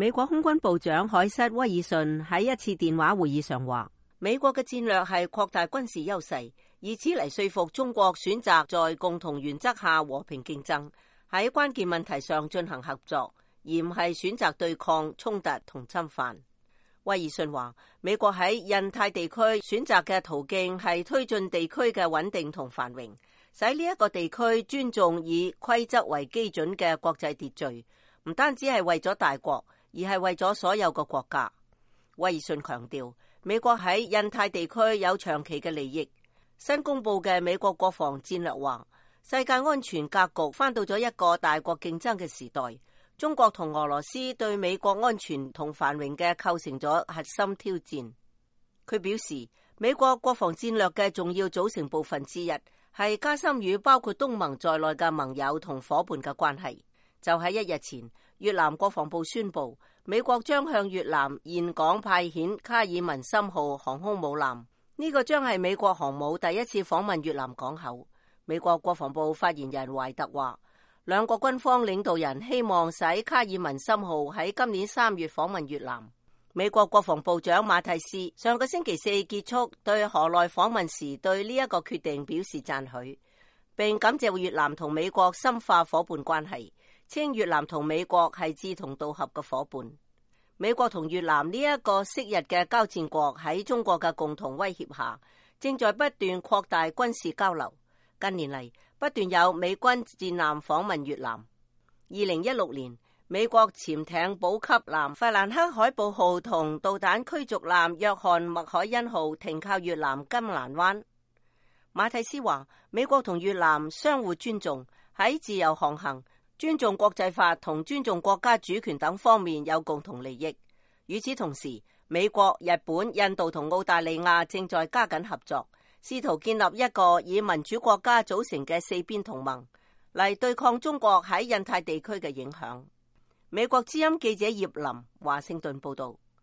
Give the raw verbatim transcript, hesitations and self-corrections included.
美國空軍部長海瑟威爾遜喺一次電話會議上話，美國嘅戰略係擴大軍事優勢，以此嚟說服中國選擇在共同原則下和平競爭，喺關鍵問題上進行合作，而唔係選擇對抗、衝突同侵犯。威爾遜話，美國喺印太地區選擇嘅途徑係推進地區嘅穩定同繁榮，使呢一個地區尊重以規則為基準嘅國際秩序，唔單止係為咗大國，而係為咗所有嘅國家。威爾遜強調，美國喺印太地區有長期嘅利益。新公布嘅美國國防戰略話，世界安全格局返到咗一個大國競爭嘅時代，中國同俄羅斯對美國安全同繁榮嘅構成咗核心挑戰。佢表示，美國國防戰略嘅重要組成部分之一係加深與包括東盟在內嘅盟友同伙伴嘅關係。就喺一日前，越南國防部宣布，美國將向越南峴港派遣卡爾文森號航空母艦，呢個將係美國航母第一次訪問越南港口。美國國防部發言人懷特話，兩國軍方領導人希望使卡爾文森號喺今年三月訪問越南。美國國防部長馬蒂斯上個星期四結束對河內訪問時，對呢一個決定表示讚許，並感謝越南同美國深化伙伴關係，稱越南同美國係志同道合嘅伙伴。美國同越南呢一個昔日嘅交戰國喺中國嘅共同威脅下，正在不斷擴大軍事交流。近年嚟，不斷有美軍戰艦訪問越南。二零一六年，美國潛艇補給艦法蘭克海堡號同導彈驅逐艦約翰麥凱恩號停靠越南金蘭灣。馬蒂斯話，美國同越南相互尊重，喺自由航行、尊重國際法同尊重國家主權等方面有共同利益。與此同時，美國、日本、印度同澳大利亞正在加緊合作，試圖建立一個以民主國家組成嘅四邊同盟，嚟對抗中國喺印太地區嘅影響。美國之音記者葉林華盛頓報道。